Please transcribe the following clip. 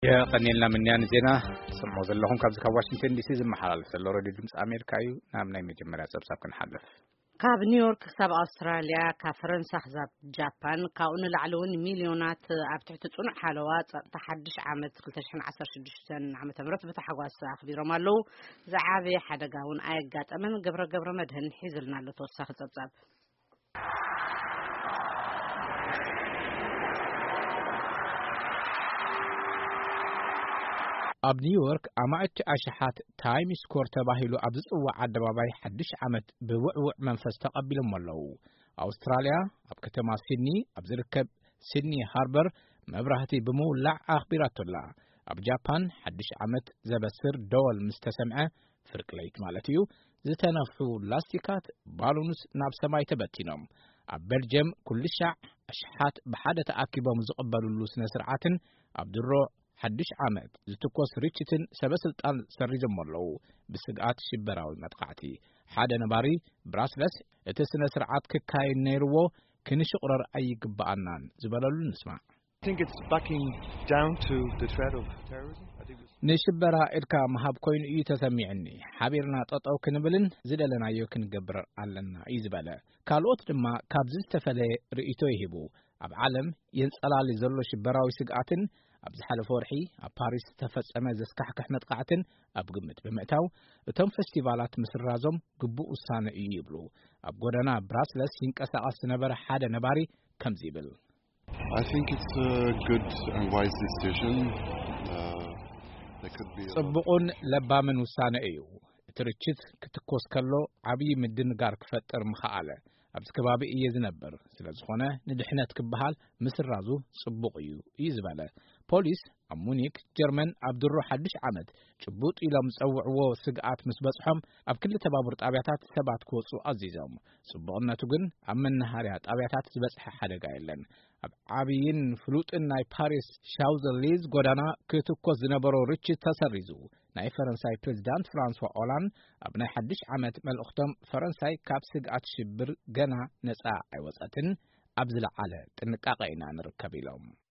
የቐኔልና ምንያን ዜና ሰምዖ ዘለኹም ካብዚ ካብ ዋሽንግተን ዲሲ ዝመሓላለፍ ዘሎ ሬድዮ ድምፂ ኣሜሪካ እዩ። ናብ ናይ መጀመርያ ጸብጻብ ክንሓልፍ። ካብ ኒውዮርክ ክሳብ ኣውስትራልያ፣ ካብ ፈረንሳ ክሳብ ጃፓን፣ ካብኡ ንላዕሊ እውን ሚልዮናት ኣብ ትሕቲ ጽኑዕ ሓለዋ ጸጥታ ሓድሽ ዓመት ክልተ ሽሕን ዓሰርተ ሽዱሽተን ዓመተ ምህረት ብታሕጓስ ኣኽቢሮም ኣለዉ። ዝዓበየ ሓደጋ እውን ኣየጋጠመን። ገብረ ገብረ መድህን ሒዙልና ኣሎ ተወሳኺ ጸብጻብ። ኣብ ኒውዮርክ ኣማእቲ ኣሽሓት ታይም ስኮር ተባሂሉ ኣብ ዝጽዋዕ ኣደባባይ ሓድሽ ዓመት ብውዕውዕ መንፈስ ተቐቢሎም ኣለዉ። ኣውስትራልያ ኣብ ከተማ ሲድኒ ኣብ ዝርከብ ሲድኒ ሃርበር መብራህቲ ብምውላዕ ኣኽቢራቶላ። ኣብ ጃፓን ሓድሽ ዓመት ዘበስር ደወል ምስ ተሰምዐ፣ ፍርቂ ለይት ማለት እዩ፣ ዝተነፍሑ ላስቲካት ባሉንስ ናብ ሰማይ ተበቲኖም። ኣብ ቤልጅየም ኩሉ ሻዕ ኣሽሓት ብሓደ ተኣኪቦም ዝቕበልሉ ስነ ስርዓትን ኣብ ድሮ ሓድሽ ዓመት ዝትኮስ ርችትን ሰበ ስልጣን ሰሪዞም ኣለዉ። ብስግኣት ሽበራዊ መጥቃዕቲ ሓደ ነባሪ ብራስለስ እቲ ስነ ስርዓት ክካየድ ነይርዎ ክንሽቕረር ኣይግብኣናን ዝበለሉ ንስማዕ። I think it's backing down to the threat of terrorism. I think it's ንሽበራ ኢድካ ምሃብ ኮይኑ እዩ ተሰሚዕኒ። ሓቢርና ጠጠው ክንብልን ዝደለናዮ ክንገብር ኣለና እዩ ዝበለ። ካልኦት ድማ ካብዚ ዝተፈለየ ርእይቶ ይህቡ። ኣብ ዓለም የንጸላሊ ዘሎ ሽበራዊ ስግኣትን ኣብ ዝሓለፈ ወርሒ ኣብ ፓሪስ ዝተፈጸመ ዘስካሕክሕ መጥቃዕትን ኣብ ግምት ብምእታው፣ እቶም ፈስቲቫላት ምስራዞም ግቡእ ውሳነ እዩ ይብሉ። ኣብ ጎደና ብራስለስ ይንቀሳቐስ ዝነበረ ሓደ ነባሪ ከምዚ ይብል። I think it's a good and wise decision. Uh, there could be a lot ጽቡቕን ለባምን ውሳነ እዩ። እቲ ርችት ክትኮስ ከሎ ዓብዪ ምድንጋር ክፈጥር ምኸኣለ። ኣብዚ ከባቢ እየ ዝነብር፣ ስለ ዝኾነ ንድሕነት ክበሃል ምስራዙ ጽቡቕ እዩ እዩ ዝበለ። ፖሊስ ኣብ ሙኒክ ጀርመን ኣብ ድሮ ሓድሽ ዓመት ጭቡጥ ኢሎም ዝጸውዕዎ ስግኣት ምስ በጽሖም ኣብ ክልተ ባቡር ጣብያታት ሰባት ክወጹ ኣዚዞም። ጽቡቕነቱ ግን ኣብ መናሃርያ ጣብያታት ዝበጽሐ ሓደጋ የለን። ኣብ ዓብይን ፍሉጥን ናይ ፓሪስ ሻውዘሊዝ ጎዳና ክትኮስ ዝነበሮ ርችት ተሰሪዙ። ናይ ፈረንሳይ ፕሬዚዳንት ፍራንሷ ኦላንድ ኣብ ናይ ሓድሽ ዓመት መልእኽቶም፣ ፈረንሳይ ካብ ስግኣት ሽብር ገና ነጻ ኣይወጸትን፣ ኣብ ዝለዓለ ጥንቃቐ ኢና ንርከብ ኢሎም።